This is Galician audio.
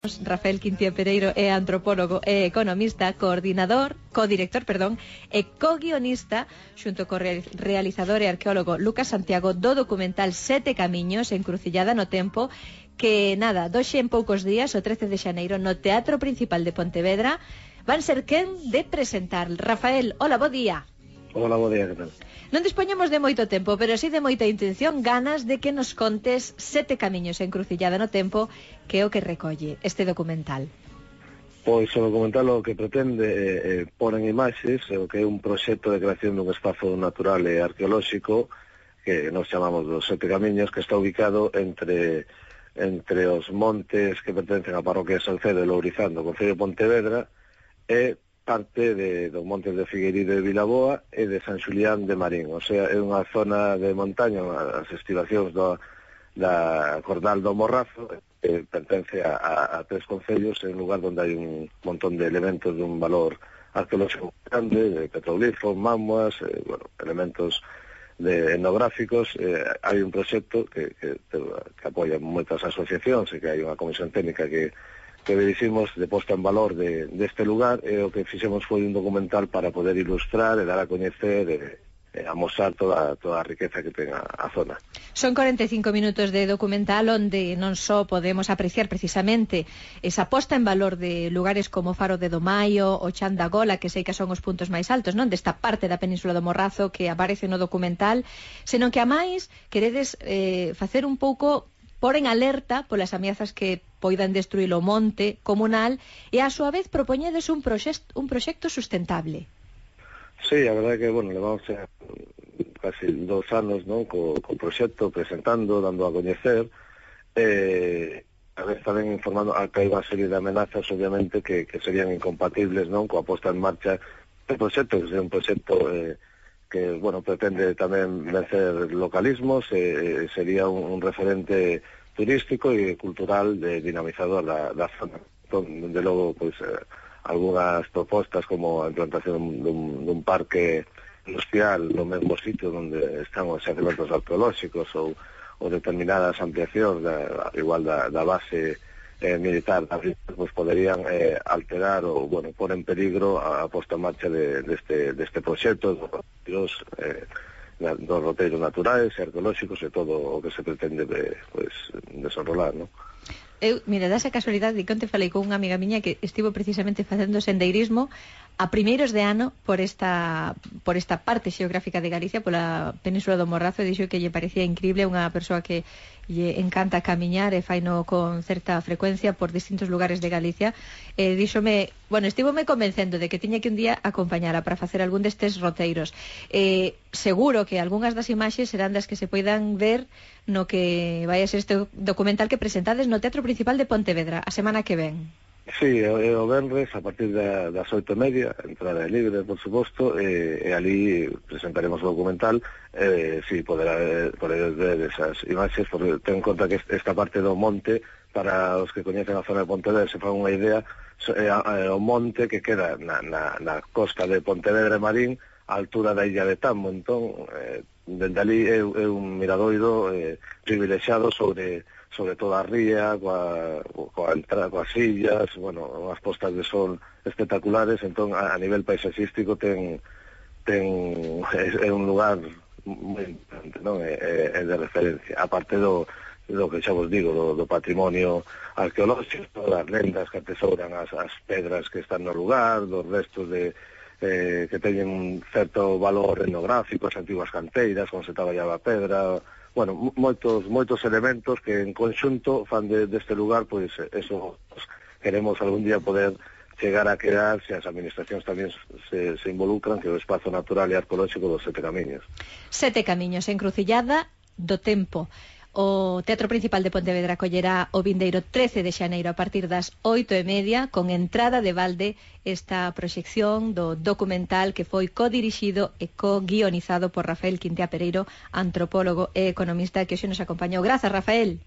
Rafael Quintía Pereiro é antropólogo e economista, codirector, e co-guionista xunto co realizador e arqueólogo Lucas Santiago do documental Sete Camiños, Encrucillada no Tempo, que nada, doxe en poucos días, o 13 de xaneiro, no Teatro Principal de Pontevedra, van ser quen de presentar. Rafael, hola, bo día. Hola, bo día, que tal? Non dispoñemos de moito tempo, pero sí de moita intención, ganas de que nos contes Sete Camiños, Encrucillada no Tempo, que é o que recolle este documental. Pois o documental o que pretende pôr en imaxes o que é un proxecto de creación dun espazo natural e arqueolóxico que nos chamamos dos Sete Camiños, que está ubicado entre os montes que pertencen á parroquia de Salcedo e Lourizán do concello de Pontevedra e parte dos montes de Figueirido e Vilaboa e de San Xulián de Marín. O sea, é unha zona de montaña, as estivacións da Cordal do Morrazo, que pertence a tres concellos, en lugar onde hai un montón de elementos de un valor arqueolóxico grande, de petroglifos, mamuas, elementos etnográficos. Hai un proxecto que apoia moitas asociacións e que hai unha comisión técnica que diriximos de posta en valor deste lugar, e o que fixemos foi un documental para poder ilustrar e dar a coñecer e amosar toda a riqueza que ten a zona. Son 45 minutos de documental onde non só podemos apreciar precisamente esa posta en valor de lugares como Faro de Domaio, o Chan da Gola, que sei que son os puntos máis altos, non, desta parte da Península do Morrazo que aparece no documental, senón que a máis queredes facer un pouco por en alerta polas ameazas que poidan destruir o monte comunal e a súa vez propoñedes un proxecto sustentable. Sí, a verdade que, levamos casi 2 anos, non, co proxecto, presentando, dando a coñecer, a vez tamén informando que hai unha serie de amenazas, obviamente, que serían incompatibles, non, coa posta en marcha do proxecto, que é un proxecto que, pretende tamén vencer localismos, sería un referente turístico e cultural dinamizador da zona. Entón, de logo, algunhas propostas como a implantación dun parque industrial no mesmo sitio onde están os xacementos arqueolóxicos ou determinadas ampliacións igual da base militar, poderían alterar ou pôr en peligro a posta en marcha deste proxecto dos roteiros naturais e arqueolóxicos e todo o que se pretende desenrolar, non? Mira, dá esa casualidade de que onte falei con unha amiga miña que estivo precisamente facendo sendeirismo a primeiros de ano por esta parte xeográfica de Galicia, pola Península do Morrazo, e dixo que lle parecía increíble, unha persoa que lle encanta camiñar e faino con certa frecuencia por distintos lugares de Galicia, e díxome, estivome convencendo de que tiña que un día acompañara para facer algún destes roteiros. Seguro que algunhas das imaxes serán das que se poidan ver no que vai a ser este documental que presentades no Teatro Principal de Pontevedra a semana que ven. Sí, o venres a partir das 8:30, entrada libre, por suposto, e ali presentaremos o documental. Sí, podedes ver esas imaxes, porque ten en conta que esta parte do monte, para os que coñecen a zona de Pontevedra, se fan unha idea, o monte que queda na costa de Pontevedra e Marín, a altura da illa de Tambo. Entón, dende ali é un miradoiro privilexiado sobre toda a ría, coas illas, unhas postas de sol espectaculares. Entón, a nivel paisaxístico é un lugar moi importante, non? É de referencia, aparte do que xa vos digo, do patrimonio arqueolóxico, das lendas que atesouran as pedras que están no lugar, dos restos que teñen un certo valor etnográfico, as antiguas canteiras, como se traballaba a pedra, moitos elementos que en conxunto fan deste lugar, eso queremos algún día poder chegar a crear, se as administracións tamén se involucran, que é o espazo natural e arqueolóxico dos Sete Camiños. Sete Camiños, Encrucillada do Tempo. O Teatro Principal de Pontevedra acollerá o vindeiro 13 de xaneiro a partir das 8:30, con entrada de balde, esta proxección do documental que foi codirixido e co-guionizado por Rafael Quintía Pereiro, antropólogo e economista, que hoxe nos acompañou. Grazas, Rafael.